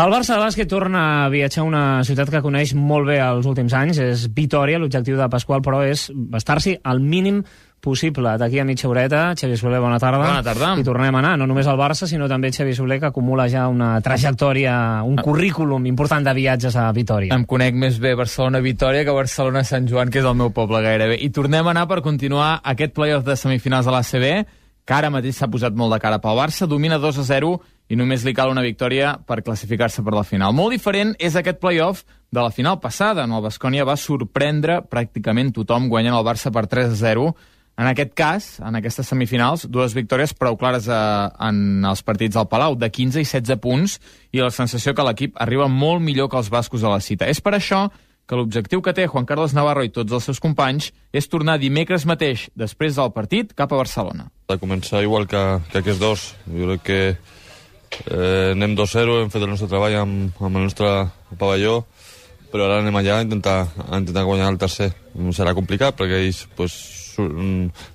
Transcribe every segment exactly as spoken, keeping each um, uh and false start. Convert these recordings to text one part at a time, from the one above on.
El Barça de bàsquet torna a viatjar a una ciutat que coneix molt bé els últims anys. És Vitòria, l'objectiu de Pasqual, però és estar-s'hi al mínim possible. D'aquí a mitja horeta, Xavi Soler, bona tarda. Bona tarda. I tornem a anar, no només al Barça, sinó també Xavi Soler, que acumula ja una trajectòria, un currículum important de viatges a Vitòria. Em conec més bé Barcelona-Vitòria que Barcelona-Sant Joan, que és el meu poble gairebé. I tornem a anar per continuar aquest play-off de semifinals de l'A C B, que ara mateix s'ha posat molt de cara pel Barça, domina dos a zero i només li cal una victòria per classificar-se per la final. Molt diferent és aquest play-off de la final passada, on el Baskonia va sorprendre pràcticament tothom guanyant el Barça per tres a zero. En aquest cas, en aquestes semifinals, dues victòries prou clares a, en els partits del Palau, de quinze i setze punts, i la sensació que l'equip arriba molt millor que els bascos a la cita. És per això que l'objectiu que té Juan Carlos Navarro i tots els seus companys és tornar dimecres mateix, després del partit, cap a Barcelona. De començar igual que, que aquests dos. Jo crec que eh, anem dos zero, hem fet el nostre treball amb, amb el nostre pavelló, però ara anem allà a intentar, a intentar guanyar el tercer. Serà complicat perquè ells pues,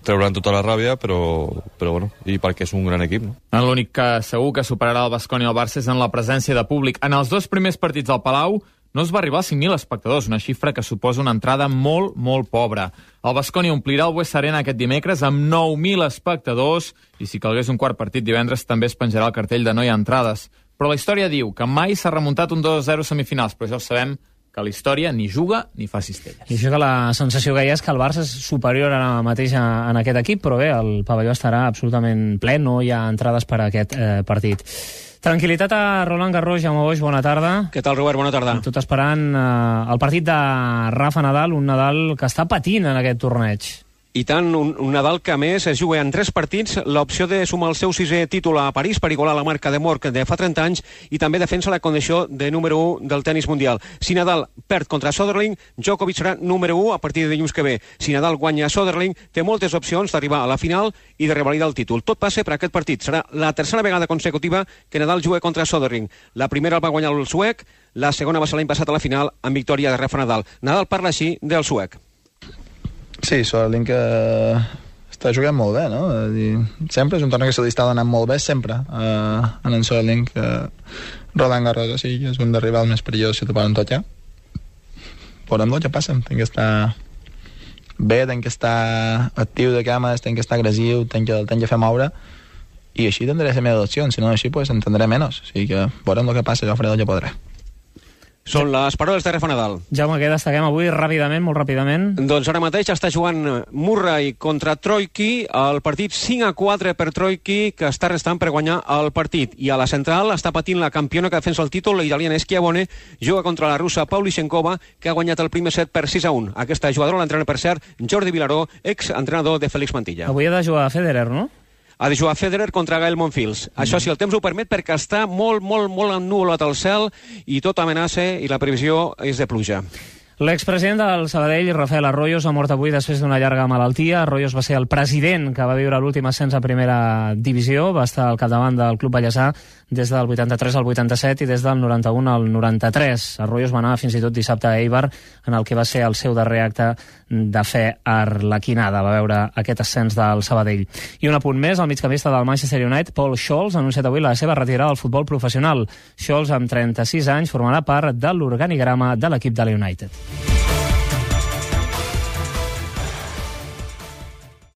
trauran tota la ràbia, però, però bueno, i perquè és un gran equip, no? L'únic que segur que superarà el Baskonia i el Barça és en la presència de públic. En els dos primers partits del Palau no es va arribar als cinc mil espectadors, una xifra que suposa una entrada molt, molt pobra. El Baskonia omplirà el Buesa Arena aquest dimecres amb nou mil espectadors i si calgués un quart partit divendres també es penjarà el cartell de no hi ha entrades. Però la història diu que mai s'ha remuntat un dos a zero semifinals, però ja ho sabem que la història ni juga ni fa cistelles. I això que la sensació que hi ha és que el Barça és superior ara mateix a, en aquest equip, però bé, el pavelló estarà absolutament ple, no hi ha entrades per a aquest eh, partit. Tranquil·litat a Roland Garros, Jaume Boix, bona tarda. Què tal, Robert? Bona tarda. Tot esperant eh, el partit de Rafa Nadal, un Nadal que està patint en aquest torneig. I tant, un, un Nadal que a més es juga en tres partits, l'opció de sumar el seu sisè títol a París per igualar la marca de Mork de fa trenta anys i també defensa la condició de número u del tennis mundial. Si Nadal perd contra Soderling, Djokovic serà número u a partir de dilluns que ve. Si Nadal guanya Soderling, té moltes opcions d'arribar a la final i de revalidar el títol. Tot passa per aquest partit. Serà la tercera vegada consecutiva que Nadal juga contra Soderling. La primera el va guanyar el suec, la segona va ser l'any passat a la final amb victòria de Rafa Nadal. Nadal parla així del suec. Sí, Soderling que està jugant molt bé, no? Sempre és un torneig que se li està donant molt bé, sempre, uh, en en Soderling, que Roland Garros, o sigui, és un dels rivals més perillosos si te poden tocar. Veurem el que passa, tem que estar bé, tem que estar actiu de cames, tem que estar agressiu, tem que, tem que fer moure, i així tindré les meves opcions, si no així pues entendré menys, o sigui que veurem el que passa, jo faré el que podré. Són les paraules de Rafa Nadal. Jaume, què destaquem avui ràpidament, molt ràpidament? Doncs ara mateix està jugant Murray contra Troicki, el partit cinc a quatre per Troicki, que està restant per guanyar el partit. I a la central està patint la campiona que defensa el títol, la italiana Schiavone, juga contra la russa Pavlyuchenkova, que ha guanyat el primer set per sis a un. Aquesta jugadora l'entrena, per cert, Jordi Vilaró, ex-entrenador de Félix Mantilla. Avui ha de jugar Federer, no? Ha de jugar Federer contra Gael Monfils. Mm. Això, si el temps ho permet, perquè està molt, molt, molt ennuvolat al cel i tot amenaça i la previsió és de pluja. L'expresident del Sabadell, Rafael Arroyos, ha mort avui després d'una llarga malaltia. Arroyos va ser el president que va viure l'últim ascens a primera divisió, va estar al capdavant del Club Vallèsà des del vuitanta-tres al vuitanta-set i des del noranta-un al noranta-tres. Arroyos va anar fins i tot dissabte a Eibar, en el que va ser el seu darrer acte de fe arlequinada. Va veure aquest ascens del Sabadell. I un apunt més, el migcampista del Manchester United, Paul Scholes, ha anunciat avui la seva retirada del futbol professional. Scholes, amb trenta-sis anys, formarà part de l'organigrama de l'equip de la United.